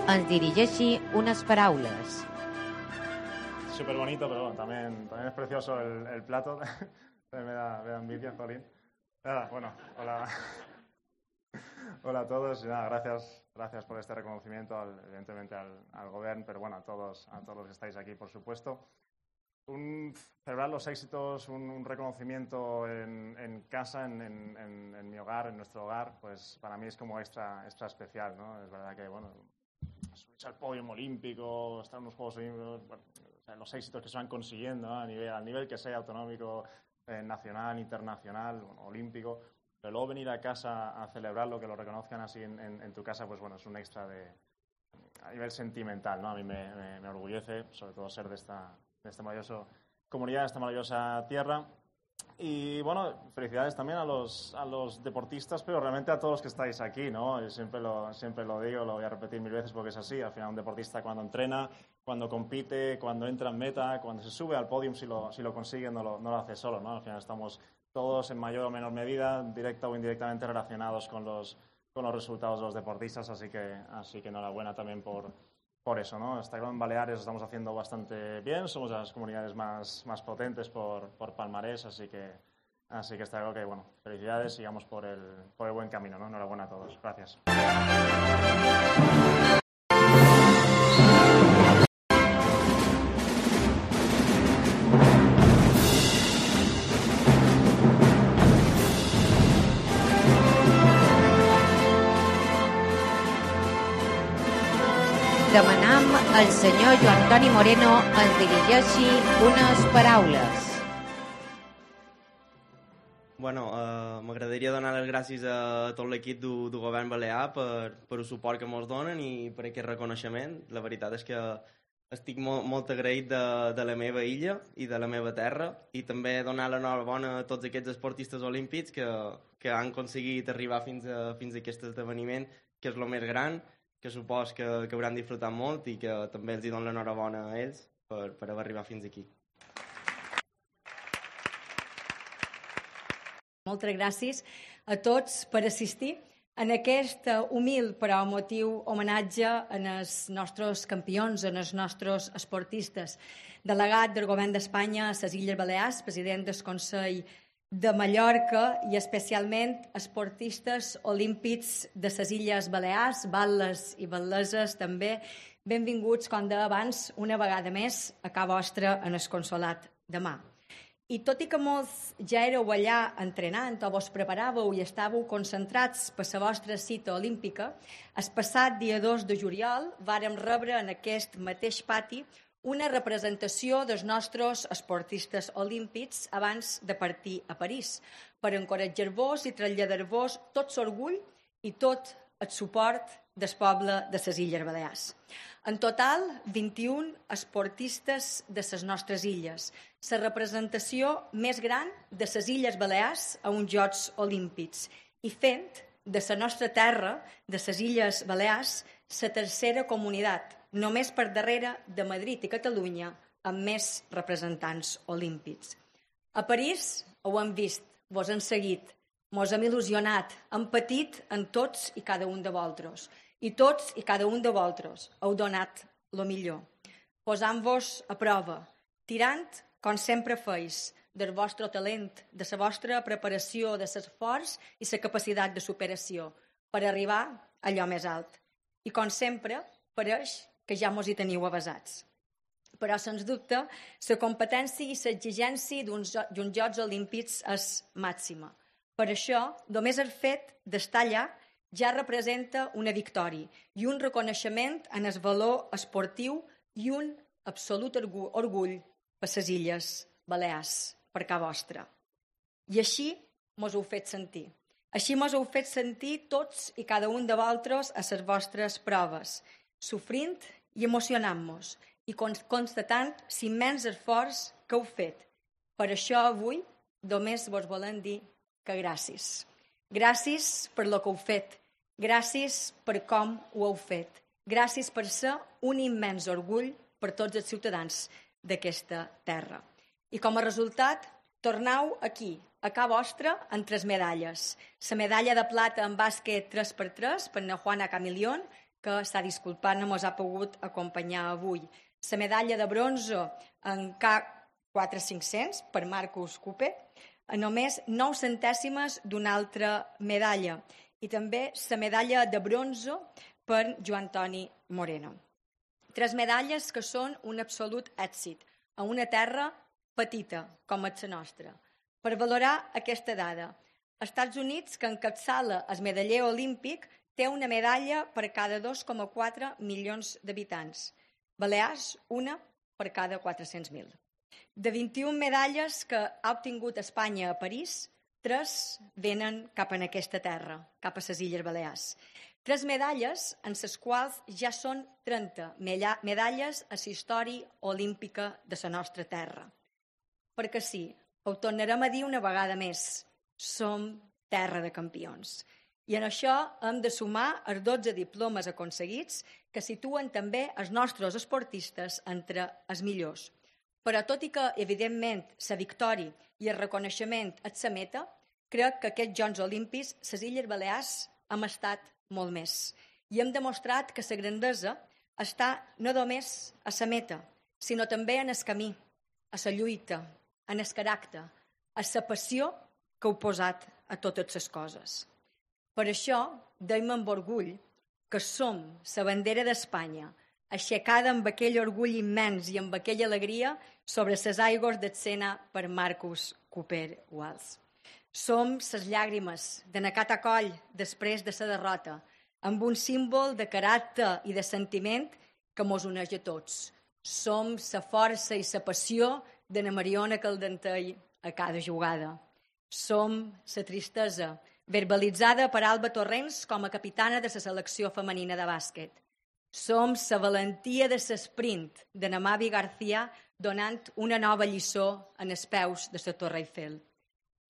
ens dirigeixi unes paraules. Súper bonito, pero bueno, también es precioso el plato. Me da envidia, Jolín. Nada, bueno, hola. Hola a todos y nada, gracias por este reconocimiento, evidentemente al gobierno, pero bueno, a todos los que estáis aquí, por supuesto. Celebrar los éxitos, un reconocimiento en casa, en mi hogar, en nuestro hogar, pues para mí es como extra especial, ¿no? Es verdad que, bueno, subirse al podio olímpico, estar en los Juegos Olímpicos, bueno, o sea, los éxitos que se van consiguiendo, ¿no? Al nivel que sea, autonómico, nacional, internacional, olímpico, pero luego venir a casa a celebrarlo, que lo reconozcan así en tu casa, pues bueno, es un extra a nivel sentimental, ¿no? A mí me orgullece, sobre todo ser de esta maravillosa comunidad, de esta maravillosa tierra. Y bueno, felicidades también a los deportistas, pero realmente a todos los que estáis aquí, ¿no? Yo siempre lo digo, lo voy a repetir 1000 veces porque es así. Al final un deportista cuando entrena, cuando compite, cuando entra en meta, cuando se sube al podium, si lo consigue, no lo hace solo, ¿no? Al final estamos todos en mayor o menor medida, directa o indirectamente relacionados con los resultados de los deportistas, así que enhorabuena también por eso, ¿no? Está claro, en Baleares lo estamos haciendo bastante bien, somos de las comunidades más potentes por palmarés, así que está claro que, bueno, felicidades, sigamos por el buen camino, ¿no? Enhorabuena a todos. Gracias. Demanam al senyor Joan Toni Moreno ens dirigeixi unes paraules. Bueno, m'agradaria donar les gràcies a tot l'equip del govern balear per el suport que ens donen i per aquest reconeixement. La veritat és que estic molt agraït de la meva illa i de la meva terra i també donar l'enhorabona a tots aquests esportistes olímpics que han aconseguit arribar fins a aquest esdeveniment, que és el més gran, que supos que hauran disfrutat molt i que també els dono l'enhorabona a ells per haver arribat fins aquí. Moltes gràcies a tots per assistir en aquest humil però emotiu homenatge als nostres campions, als nostres esportistes. Delegat del Govern d'Espanya a les Illes Balears, president del Consell de Mallorca i especialment esportistes olímpics de les Illes Balears, batles i batleses també. Benvinguts, com deia abans, una vegada més a casa vostra en el Consolat de Mar. I tot i que molts ja éreu allà entrenant o vos preparàveu i estàveu concentrats per la vostra cita olímpica, el passat dia 2 de juliol vàrem rebre en aquest mateix pati una representació dels nostres esportistes olímpics abans de partir a París, per encoratjar-vos i traslladar-vos tot l'orgull i tot el suport del poble de les Illes Balears. En total, 21 esportistes de les nostres illes, la representació més gran de les Illes Balears a uns Jocs Olímpics i fent de la nostra terra, de les Illes Balears, la tercera comunitat, només per darrere de Madrid i Catalunya, amb més representants olímpics. A París ho hem vist, vos hem seguit, mos hem il·lusionat, hem patit en tots i cada un de vosaltres. I tots i cada un de vosaltres heu donat el millor, posant-vos a prova, tirant, com sempre feis, del vostre talent, de la vostra preparació, de l'esforç i la capacitat de superació, per arribar a allò més alt. I com sempre, pareix que ja mos hi teniu avasats. Però, sens dubte, la competència i l'exigència d'uns Jocs Olímpics és màxima. Per això, només el fet d'estar allà ja representa una victòria i un reconeixement en el valor esportiu i un absolut orgull per les Illes Balears, per casa vostra. I així mos heu fet sentir. Així mos heu fet sentir tots i cada un de vosaltres a les vostres proves, sofrint i emocionant-nos i constatant l'immens esforç que heu fet. Per això avui només vos volem dir que gràcies. Gràcies per el que heu fet. Gràcies per com ho heu fet. Gràcies per ser un immens orgull per tots els ciutadans d'aquesta terra. I com a resultat, tornau aquí, a casa vostra, amb 3 medalles. La medalla de plata en bàsquet 3x3 per na Juana Camilión, que s'ha disculpat, no ens ha pogut acompanyar avui. La medalla de bronze en K4500 per Marcus Cooper, a només 9 centèsimes d'una altra medalla, i també la medalla de bronze per Joan Toni Moreno. 3 medalles que són un absolut èxit a una terra petita com és la nostra. Per valorar aquesta dada, Estats Units, que encapçala el medaller olímpic, té una medalla per cada 2,4 milions d'habitants. Balears, una per cada 400.000. De 21 medalles que ha obtingut Espanya a París, 3 venen cap en aquesta terra, cap a les Illes Balears. 3 medalles en les quals ja són 30 medalles a la història olímpica de la nostra terra. Perquè sí, ho tornarem a dir una vegada més, som terra de campions. I en això hem de sumar els 12 diplomes aconseguits que situen també els nostres esportistes entre els millors. Però tot i que, evidentment, la victòria i el reconeixement és la meta, crec que aquests Jocs Olímpics, les Illes Balears, hem estat molt més. I hem demostrat que la grandesa està no només a la meta, sinó també en el camí, a la lluita, en el caràcter, a la passió que heu posat a totes les coses. Per això, deim amb orgull que som la bandera d'Espanya, aixecada amb aquell orgull immens i amb aquella alegria sobre les aigües del Sena per Marcus Cooper Wales. Som les llàgrimes de Nacat a coll després de la derrota, amb un símbol de caràcter i de sentiment que mos uneix a tots. Som la força i la passió de na Mariona Caldentell a cada jugada. Som la tristesa verbalitzada per Alba Torrents com a capitana de la selecció femenina de bàsquet. Som la valentia de l'esprint de na Mavi García donant una nova lliçó en els peus de la Torre Eiffel.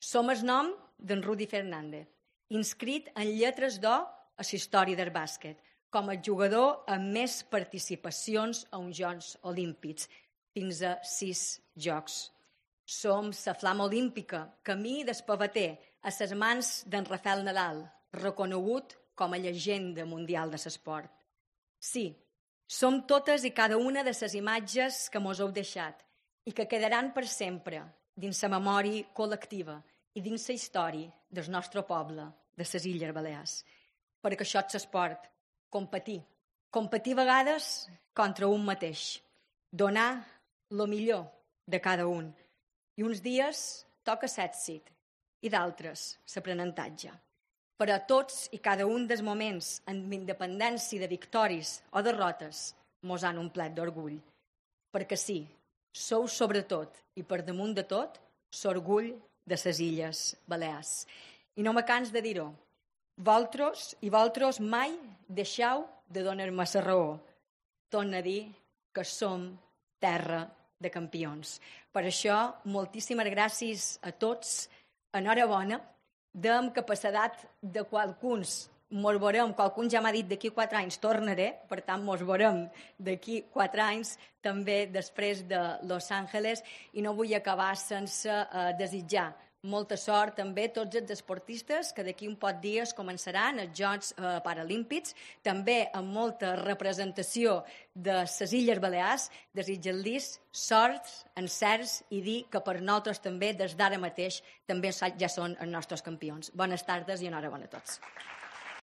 Som el nom d'en Rudi Fernández, inscrit en lletres d'or a la història del bàsquet, com a jugador amb més participacions a uns Jocs Olímpics, fins a 6 jocs. Som la flama olímpica, camí d'espavater a les mans d'en Rafael Nadal, reconegut com a llegenda mundial de l'esport. Sí, som totes i cada una de les imatges que mos heu deixat i que quedaran per sempre dins la memòria col·lectiva i dins la història del nostre poble, de les Illes Balears. Perquè això és l'esport, competir. Competir a vegades contra un mateix. Donar el millor de cada un. I uns dies toca l'èxit i d'altres l'aprenentatge. Però tots i cada un dels moments, amb independència de victòries o derrotes, mos han omplert d'orgull. Perquè sí, sou sobretot i per damunt de tot l'orgull de les Illes Balears. I no me cans de dir-ho. Vosaltres mai deixeu de donar-me la raó. Torno a dir que som terra de campions. Per això, moltíssimes gràcies a tots. Enhorabona. Amb capacitat de qualcuns mos veurem, qualcun ja m'ha dit d'aquí 4 anys tornaré, per tant mos veurem d'aquí 4 anys també després de Los Angeles, i no vull acabar sense desitjar molta sort també a tots els esportistes que d'aquí un poc dies començaran els Jocs Paralímpics, també amb molta representació de les Illes Balears, desitjar-los sort, encerts i dir que per nosaltres també des d'ara mateix també ja són els nostres campions. Bones tardes i enhorabona a tots.